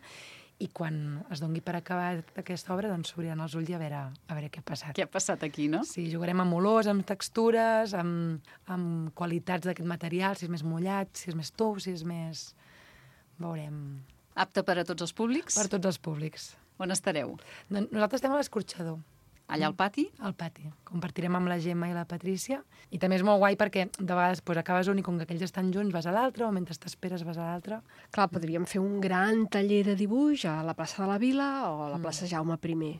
i quan es doni per acabar aquesta obra, doncs s'obriran els ulls i a veure, a veure què ha passat.
Què ha passat aquí, no?
Sí, jugarem amb olors, amb textures, amb, amb qualitats d'aquest material, si és més mullat, si és més tou, si és més... Veurem...
Apte per a tots els públics?
Per tots els públics.
On estareu?
Doncs nosaltres estem a l'Escorxador.
Allà al pati?
Al pati. Compartirem amb la Gemma i la Patrícia. I també és molt guai perquè de vegades pues, acabes un i com que aquells estan junts vas a l'altre o mentre t'esperes vas a l'altre.
Clar, podríem fer un gran taller de dibuix a la plaça de la Vila o a la plaça
Mm.
Jaume primer.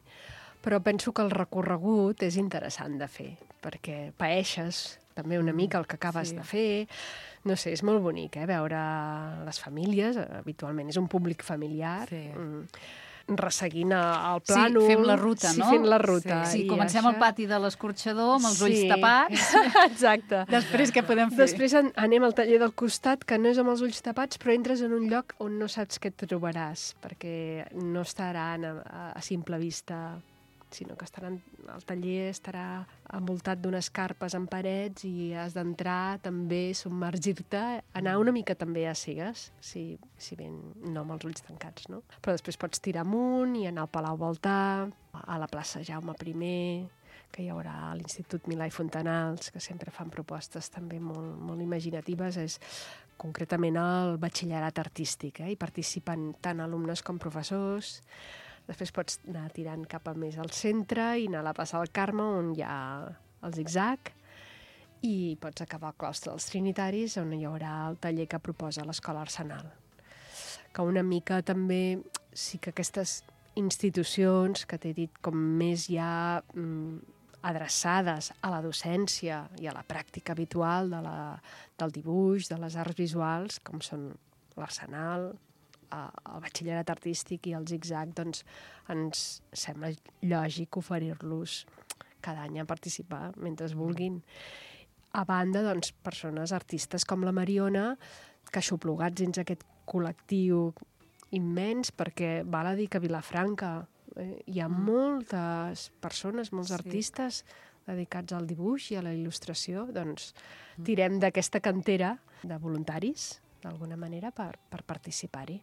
Però penso que el recorregut és interessant de fer, perquè paeixes també una mica el que acabes
Sí.
de fer. No sé, és molt bonic, eh, veure les famílies, habitualment és un públic familiar,
Sí.
mm, resseguint el plànol.
Sí, fem la ruta,
sí,
no?
Sí, fem la ruta.
Sí,
I
comencem
això...
al pati de l'Escorxador amb els ulls
Sí.
tapats.
Exacte.
Després què podem fer?
Després an anem al taller del costat, que no és amb els ulls tapats, però entres en un lloc on no saps què et trobaràs, perquè no estaran a, a, a simple vista, sinó que estaran, el taller estarà envoltat d'unes carpes en parets i has d'entrar també, submergir-te, anar una mica també a cegues, si, si ben no amb els ulls tancats, no? Però després pots tirar amunt i anar al Palau Baltà, a la plaça Jaume primer, que hi haurà l'Institut Milà i Fontanals, que sempre fan propostes també molt, molt imaginatives, és concretament el batxillerat artístic, eh? Hi participen tant alumnes com professors. Després pots anar tirant cap a més al centre i anar a la plaça del Carme, on hi ha el zig-zag, i pots acabar al claustre dels Trinitaris, on hi haurà el taller que proposa l'Escola Arsenal. Que una mica també sí que aquestes institucions que t'he dit com més ja mm, adreçades a la docència i a la pràctica habitual de la, del dibuix, de les arts visuals, com són l'Arsenal, el batxillerat artístic i el zig-zag, doncs ens sembla lògic oferir-los cada any a participar mentre es vulguin. A banda, doncs, persones artistes com la Mariona, que aixoplugats dins aquest col·lectiu immens, perquè val a dir que a Vilafranca eh, hi ha moltes persones, molts
Sí.
artistes dedicats al dibuix i a la il·lustració, doncs tirem d'aquesta cantera de voluntaris, d'alguna manera, per, per participar-hi.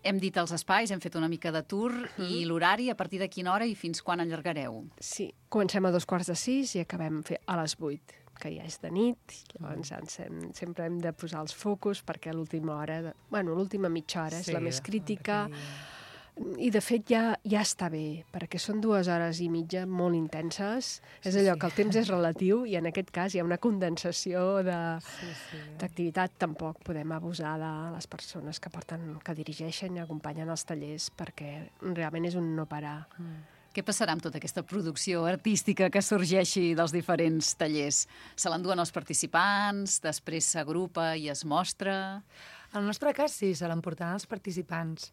Hem dit els espais, hem fet una mica de tour, i l'horari, a partir de quina hora i fins quan allargareu?
Sí, comencem a dos quarts de sis i acabem fer a les vuit, que ja és de nit, llavors ens hem, sempre hem de posar els focus perquè l'última hora, de, bueno, l'última mitja hora és
Sí,
la més crítica,
perquè...
i de fet ja, ja està bé, perquè són dues hores i mitja molt intenses, és allò
sí.
que el temps és relatiu i en aquest cas hi ha una condensació de...
Sí, sí.
d'activitat. Tampoc podem abusar de les persones que porten, que dirigeixen i acompanyen els tallers, perquè realment és un no parar.
Mm.
Què passarà amb tota aquesta producció artística que sorgeixi dels diferents tallers? Se l'enduen els participants, després s'agrupa i es mostra...
En el nostre cas, sí, se l'emportaran els participants.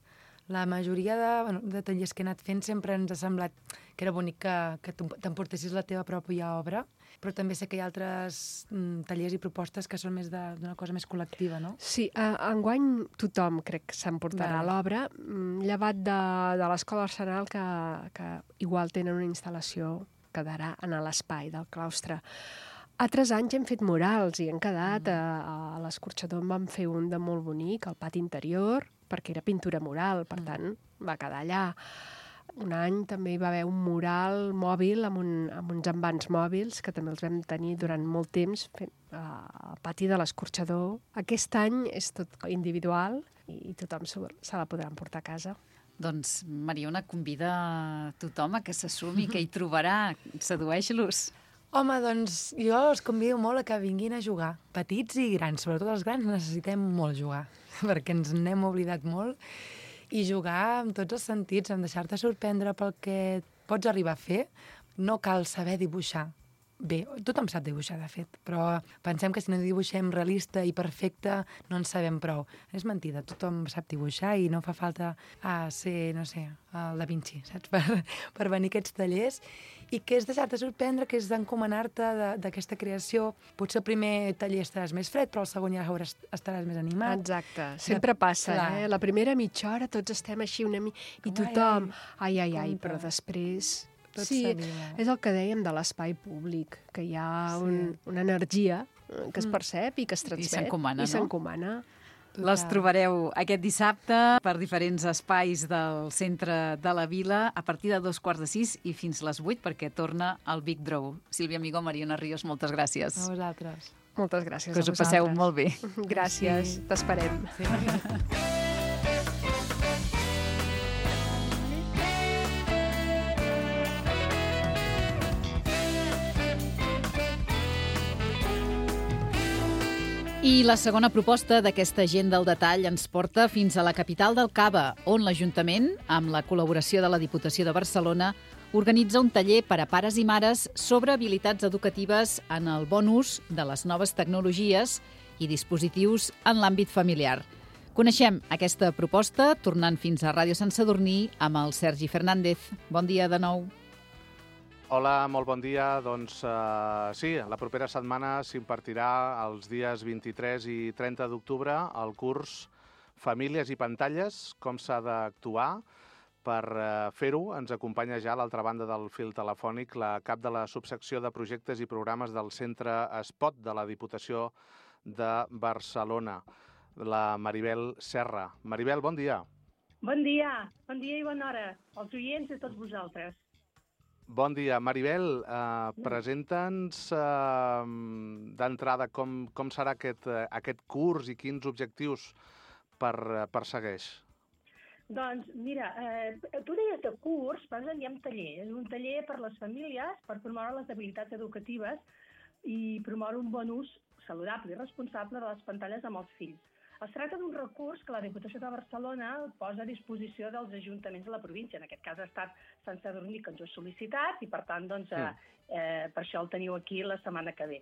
La majoria de, bueno, de tallers que he anat fent sempre ens ha semblat que era bonic que, que t'emportessis la teva pròpia obra, però també sé que hi ha altres mm, tallers i propostes que són més d'una cosa més col·lectiva, no?
Sí, uh, enguany tothom crec que s'emportarà
Vale.
l'obra, mm, llevat de, de l'Escola Arsenal, que, que igual tenen una instal·lació que quedarà en l'espai del claustre. Altres anys hem fet murals i han quedat, mm. a, a l'Escorxador en vam fer un de molt bonic, al pati interior, perquè era pintura mural, per tant, va quedar allà. Un any també hi va haver un mural mòbil amb, un, amb uns envans mòbils, que també els vam tenir durant molt temps fent, uh, al pati de l'Escorxador. Aquest any és tot individual i, i tothom se, se la podrà emportar a casa.
Doncs Mariona convida tothom a que se sumi, que hi trobarà. Sedueix-los.
Home, doncs jo els convido molt a que vinguin a jugar, petits i grans. Sobretot els grans necessitem molt jugar, perquè ens n'hem oblidat molt. i jugar amb tots els sentits, en deixar-te sorprendre pel que pots arribar a fer. No cal saber dibuixar bé. Tothom sap dibuixar, de fet, però pensem que si no dibuixem realista i perfecte no en sabem prou. És mentida, tothom sap dibuixar i no fa falta a ser, no sé, el Da Vinci, saps? Per, per venir a aquests tallers, i que és deixar-te sorprendre, que és d'encomanar-te d'aquesta creació. Potser el primer taller estaràs més fred, però el segon ja hauràs, estaràs més animat.
Exacte, sempre passa, eh? La primera mitja hora tots estem així una mica... I tothom, ai, ai, ai, però després...
Tot
sí,
s'anima.
és el que dèiem de l'espai públic, que hi ha un, una energia que es percep i que es transmet.
I s'encomana, no?
I s'encomana.
Les trobareu aquest dissabte per diferents espais del centre de la vila a partir de dos quarts de sis i fins les vuit, perquè torna el Big Draw. Sílvia Amigó, Mariona Ríos, moltes gràcies.
A vosaltres.
Moltes gràcies
que
a vosaltres.
Que us ho passeu molt bé.
Gràcies, sí. T'esperem. Sí.
I la segona proposta d'aquesta agenda al detall ens porta fins a la capital del Cava, on l'Ajuntament, amb la col·laboració de la Diputació de Barcelona, organitza un taller per a pares i mares sobre habilitats educatives en el bon ús de les noves tecnologies i dispositius en l'àmbit familiar. Coneixem aquesta proposta tornant fins a Ràdio Sant Sadurní amb el Sergi Fernández. Bon dia de nou.
Hola, molt bon dia. Doncs uh, sí, la propera setmana s'impartirà els dies vint-i-tres i trenta d'octubre el curs Famílies i pantalles, com s'ha d'actuar. Per uh, fer-ho ens acompanya ja a l'altra banda del fil telefònic la cap de la subsecció de projectes i programes del Centre Espot de la Diputació de Barcelona, la Maribel Serra. Maribel, bon dia.
Bon dia, bon dia i bona hora als oients i a tots vosaltres.
Bon dia. Maribel, eh, presenta'ns eh, d'entrada com, com serà aquest, eh, aquest curs i quins objectius per, eh, persegueix.
Doncs mira, eh, tu deies de curs, però en diem taller. És un taller per les famílies per promoure les habilitats educatives i promoure un bon ús saludable i responsable de les pantalles amb els fills. Es tracta d'un recurs que la Diputació de Barcelona posa a disposició dels ajuntaments de la província. En aquest cas ha estat Sant Sadurní, que ens ho ha sol·licitat, i per tant, doncs, sí. eh, per això el teniu aquí la setmana que ve.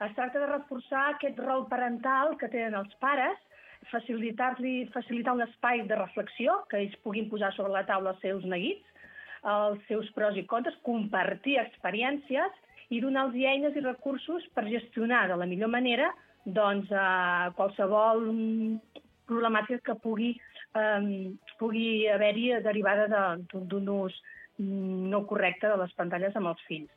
Es tracta de reforçar aquest rol parental que tenen els pares, facilitar-li facilitar un espai de reflexió, que ells puguin posar sobre la taula els seus neguits, els seus pros i contres, compartir experiències i donar-los eines i recursos per gestionar de la millor manera doncs, eh, qualsevol problemàtica que pugui, eh, pugui haver-hi derivada d'un de, ús no correcte de les pantalles amb els fills.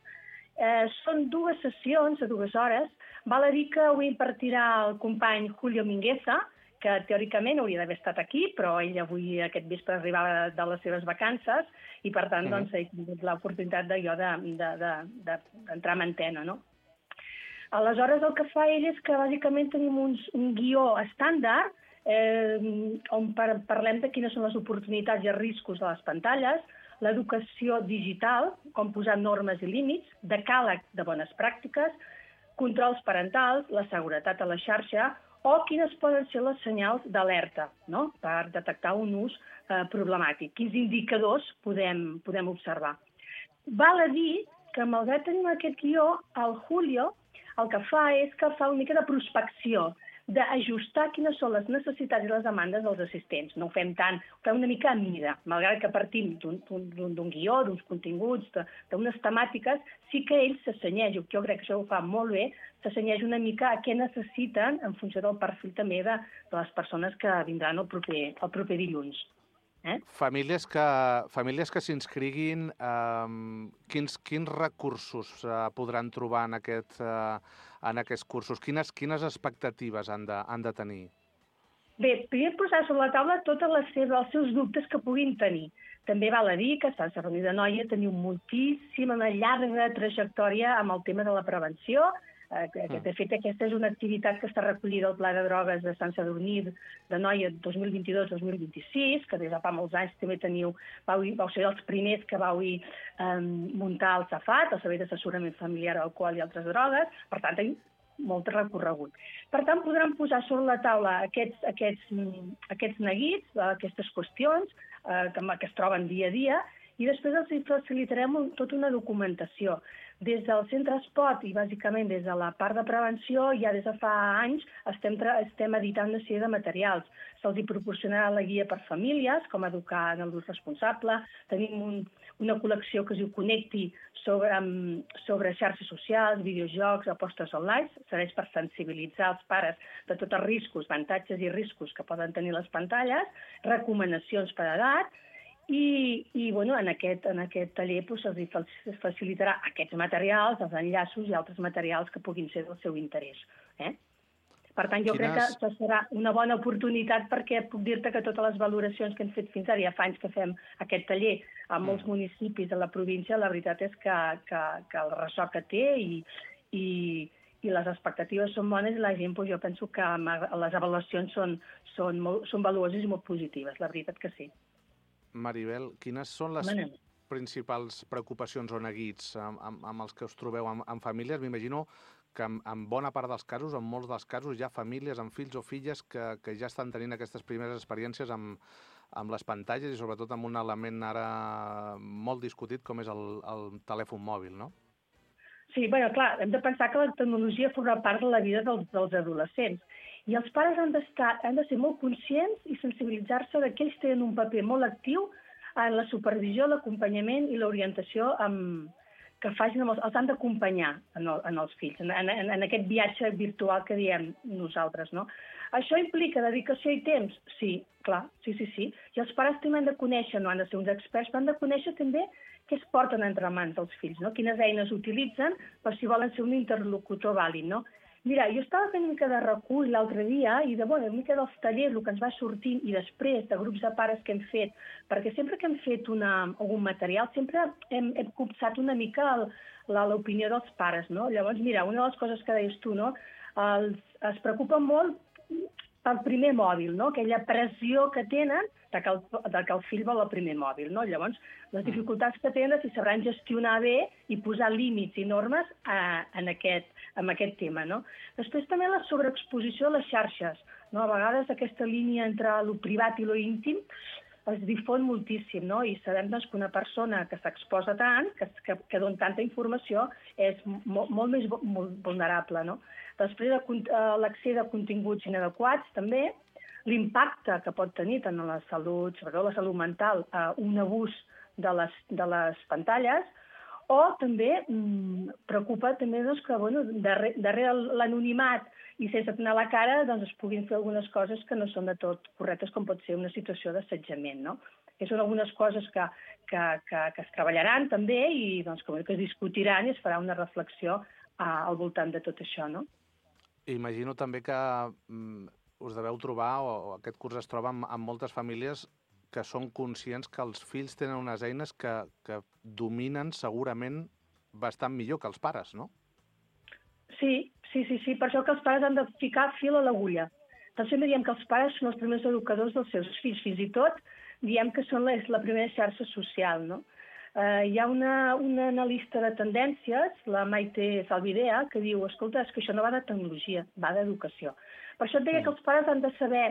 Eh, són dues sessions, a dues hores. Val a dir que ho impartirà el company Julio Mingueza, que teòricament hauria d'haver estat aquí, però ell avui aquest vespre arribava de les seves vacances i, per tant, doncs, he tingut l'oportunitat de jo d'entrar de, de, de, en antena, no? Aleshores, el que fa ell és que, bàsicament, tenim uns, un guió estàndard eh, on par parlem de quines són les oportunitats i els riscos de les pantalles, l'educació digital, com posar normes i límits, decàleg de bones pràctiques, controls parentals, la seguretat a la xarxa o quines poden ser les senyals d'alerta, no?, per detectar un ús eh, problemàtic. Quins indicadors podem, podem observar. Val a dir que, malgrat tenim aquest guió, el Julio el que fa és que fa una mica de prospecció, d'ajustar quines són les necessitats i les demandes dels assistents. No ho fem tant, ho fem una mica a mida. Malgrat que partim d'un guió, d'uns continguts, d'unes temàtiques, sí que ell s'assenyeix, jo crec que això ho fa molt bé, s'assenyeix una mica a què necessiten en funció del perfil també de, de les persones que vindran el proper, el proper dilluns. Eh?
Famílies que, famílies que s'inscriguin, eh, quins, quins recursos eh, podran trobar en, aquest, eh, en aquests cursos? Quines, quines expectatives han de, han de tenir?
Bé, primer posar sobre la taula tots els seus dubtes que puguin tenir. També val a dir que a Sant Sadurní d'Anoia teniu moltíssima, una llarga trajectòria amb el tema de la prevenció. De fet, aquesta és una activitat que està recollida al Pla de Drogues de Sant Sadurní d'Anoia dos mil vint-i-dos dos mil vint-i-sis, que des de fa molts anys també teniu, vau, vau ser els primers que vau um, muntar el SAFAT, el Servei d'Assessorament Familiar, Alcohol i Altres Drogues. Per tant, molt recorregut. Per tant, podran posar sobre la taula aquests, aquests, aquests neguits, aquestes qüestions eh, que, que es troben dia a dia, i després els facilitarem tota una documentació. Des del centre Espot i bàsicament des de la part de prevenció, ja des de fa anys estem, estem editant una sèrie de materials. Se'ls hi proporcionarà la guia per famílies, com educar en l'ús responsable. Tenim un, una col·lecció que es diu Connecti sobre, sobre xarxes socials, videojocs, apostes online. Serveix per sensibilitzar els pares de tots els riscos, avantatges i riscos que poden tenir les pantalles, recomanacions per edat. I, i bueno, en, aquest, en aquest taller doncs, se'ls facilitarà aquests materials, els enllaços i altres materials que puguin ser del seu interès. Eh? Per tant, jo Quines... crec que serà una bona oportunitat perquè puc dir-te que totes les valoracions que hem fet fins ara, ja fa anys que fem aquest taller a molts mm. municipis de la província, la veritat és que, que, que el ressò que té i, i, i les expectatives són bones i la gent, doncs, jo penso que les avaluacions són, són, molt, són valuoses i molt positives, la veritat que sí.
Maribel, quines són les Manem. principals preocupacions o neguits amb, amb, amb els que us trobeu amb, amb famílies? M'imagino que en, en bona part dels casos, en molts dels casos, hi ha famílies amb fills o filles que, que ja estan tenint aquestes primeres experiències amb, amb les pantalles i sobretot amb un element ara molt discutit com és el, el telèfon mòbil, no?
Sí, bueno, clar, hem de pensar que la tecnologia forma part de la vida dels, dels adolescents. I els pares han, han de ser molt conscients i sensibilitzar-se que ells tenen un paper molt actiu en la supervisió, l'acompanyament i l'orientació amb, que facin, amb els, els han d'acompanyar en, el, en els fills, en, en, en aquest viatge virtual que diem nosaltres, no? Això implica dedicació i temps? Sí, clar, sí, sí, sí. I els pares també han de conèixer, no han de ser uns experts, però han de conèixer també què es porten entre mans dels fills, no? Quines eines utilitzen per si volen ser un interlocutor vàlid, no? Mira, jo estava fent una mica de recull l'altre dia i de, bueno, una mica dels tallers, el que ens va sortint, i després de grups de pares que hem fet, perquè sempre que hem fet una, algun material, sempre hem, hem copsat una mica l'opinió dels pares, no? Llavors, mira, una de les coses que deies tu, no? Els, es preocupen molt pel primer mòbil, no? Aquella pressió que tenen de que, el, de que el fill vol el primer mòbil, no? Llavors, les dificultats que tenen si sabran gestionar bé i posar límits i normes a, en, aquest, en aquest tema, no? Després també la sobreexposició a les xarxes, no? A vegades aquesta línia entre el privat i lo íntim es difon moltíssim, no? I sabem doncs, que una persona que s'exposa tant, que, que, que dona tanta informació, és molt, molt més vulnerable, no? Després, l'accés a continguts inadequats, també, l'impacte que pot tenir tant a la salut, sobretot la salut mental, un abús de les, de les pantalles, o també mmm, preocupa també doncs, que bueno, darrere, darrere l'anonimat i sense tenir la cara doncs, es puguin fer algunes coses que no són de tot correctes, com pot ser una situació d'assetjament, no? Que són algunes coses que, que, que, que es treballaran també i doncs, que, que es discutiran i es farà una reflexió uh, al voltant de tot això, no?
Imagino també que mm, us deveu trobar, o, o aquest curs es troba amb, amb moltes famílies que són conscients que els fills tenen unes eines que, que dominen segurament bastant millor que els pares, no?
Sí, sí, sí, sí. Per això que els pares han de ficar fil a l'agulla. Doncs sempre diem que els pares són els primers educadors dels seus fills. Fins i tot diem que són la, la primera xarxa social, no? Uh, hi ha una, una analista de tendències, la Maite Zalbidea, que diu, escolta, és que això no va de tecnologia, va d'educació. Per això et deia que els pares han de saber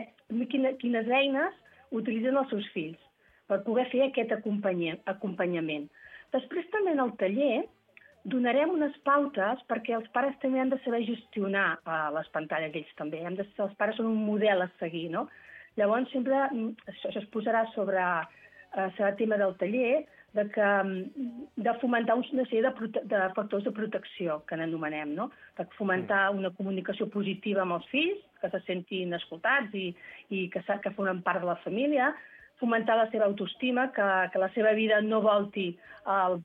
quina, quines eines utilitzen els seus fills per poder fer aquest acompanyament. Després també en el taller donarem unes pautes perquè els pares també han de saber gestionar uh, les pantalles, ells també. Hem de, els pares són un model a seguir, no? Llavors sempre això, això es posarà sobre uh, serà tema del taller, de, que, de fomentar una sèrie de, prote de factors de protecció, que n'anomenem, no? De fomentar una comunicació positiva amb els fills, que se sentin escoltats i, i que, que formen part de la família, fomentar la seva autoestima, que, que la seva vida no volti al,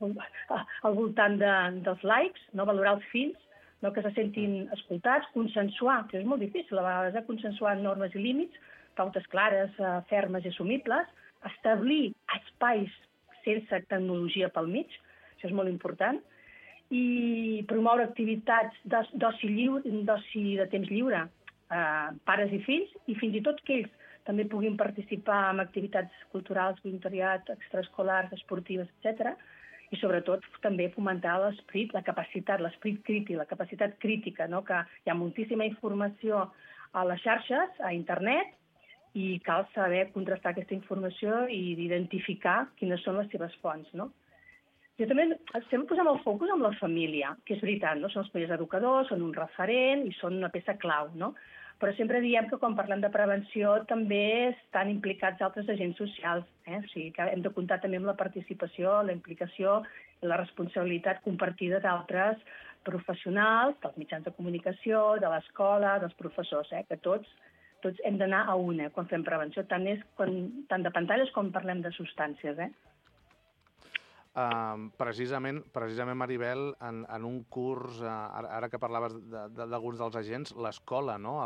al voltant de, dels likes, no? Valorar els fills, no? Que se sentin escoltats, consensuar, que és molt difícil a vegades, eh? Consensuar normes i límits, pautes clares, eh, fermes i assumibles, establir espais sense tecnologia pel mig, això és molt important, i promoure activitats d'oci de temps lliure, eh, pares i fills, i fins i tot que ells també puguin participar en activitats culturals, voluntariat, extraescolars, esportives, etcètera. i sobretot també fomentar l'esperit, la capacitat, l'esperit crític, la capacitat crítica, no? Que hi ha moltíssima informació a les xarxes, a internet, i cal saber contrastar aquesta informació i identificar quines són les seves fonts, no? Jo també estem posant el focus en la família, que és veritat, no? Són els primers educadors, són un referent i són una peça clau, no? Però sempre diem que quan parlem de prevenció també estan implicats altres agents socials, eh? O sigui que hem de comptar també amb la participació, la implicació i la responsabilitat compartida d'altres professionals, dels mitjans de comunicació, de l'escola, dels professors, eh? Que tots, tots hem d'anar a una quan fem prevenció, tant, és quan, tant de pantalles com parlem de substàncies, eh?
Uh, precisament, precisament, Maribel, en, en un curs, uh, ara, ara que parlaves d'alguns dels agents, l'escola, no?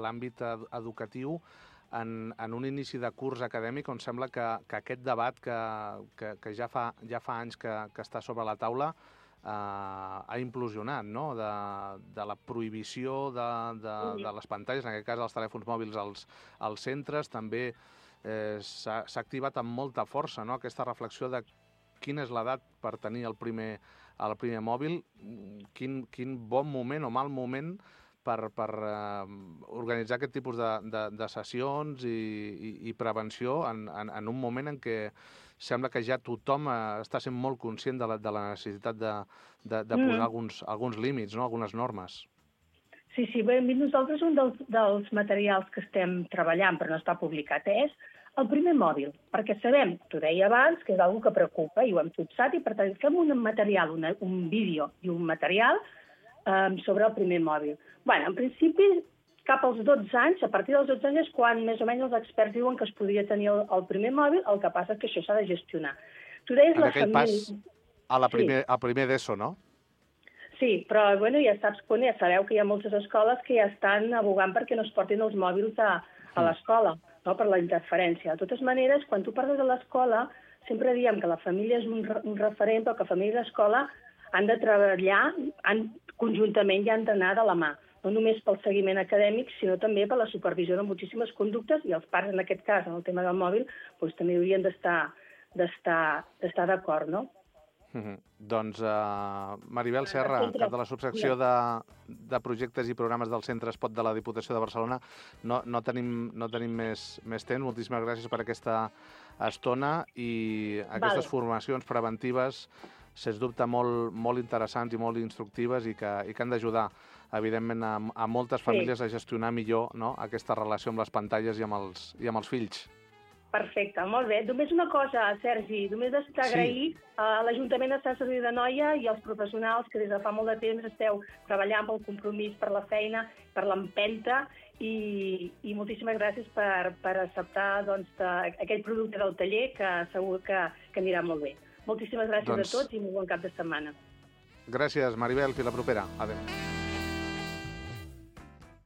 L'àmbit ed educatiu, en, en un inici de curs acadèmic on sembla que, que aquest debat que, que, que ja, fa, ja fa anys que, que està sobre la taula uh, ha implosionat, no? De, de la prohibició de, de, de les pantalles, en aquest cas els telèfons mòbils als, als centres, també eh, s'ha activat amb molta força, no? Aquesta reflexió de quina és l'edat per tenir el primer, el primer mòbil, quin, quin bon moment o mal moment per, per uh, organitzar aquest tipus de, de, de sessions i, i, i prevenció en, en, en un moment en què sembla que ja tothom uh, està sent molt conscient de la, de la necessitat de, de, de posar mm. alguns, alguns límits, no? Algunes normes.
Sí, sí, bé, nosaltres un dels, dels materials que estem treballant però no està publicat és el primer mòbil, perquè sabem, t'ho deia abans, que és una cosa que preocupa i ho hem fixat, i per tant fem un material, una, un vídeo i un material um, sobre el primer mòbil. Bé, en principi, cap als dotze anys, a partir dels dotze anys és quan més o menys els experts diuen que es podria tenir el, el primer mòbil, el que passa és que això s'ha de gestionar. Tu deies
en
la
aquell
família...
pas a la primer,
sí.
a primer d'ESO, no?
Sí, però bueno, ja saps, ja sabeu que hi ha moltes escoles que ja estan abogant perquè no es portin els mòbils a, a l'escola, no? Per la interferència. De totes maneres, quan tu parles de l'escola, sempre diem que la família és un, un referent, però que la família i l'escola han de treballar han, conjuntament i han d'anar de la mà, no només pel seguiment acadèmic, sinó també per la supervisió de moltíssimes conductes, i els pares, en aquest cas, en el tema del mòbil, doncs, també haurien d'estar d'estar d'acord, no?
Mm-hmm. Doncs uh, Maribel Serra, cap de la subsecció de, de projectes i programes del Centre Espot de la Diputació de Barcelona, no, no tenim, no tenim més, més temps. Moltíssimes gràcies per aquesta estona i aquestes vale. formacions preventives, sens dubte, molt, molt interessants i molt instructives i que, i que han d'ajudar, evidentment, a, a moltes famílies sí. a gestionar millor, no?, aquesta relació amb les pantalles i amb els, i amb els fills.
Perfecte, molt bé. Només una cosa, Sergi, només d'agrair sí. a l'Ajuntament de Sant Sadurní d'Anoia i als professionals que des de fa molt de temps esteu treballant pel compromís, per la feina, per l'empenta i, i moltíssimes gràcies per, per acceptar doncs, aquell producte del taller que segur que, que anirà molt bé. Moltíssimes gràcies doncs... a tots i molt bon cap de setmana.
Gràcies, Maribel. Fins la propera. Adéu.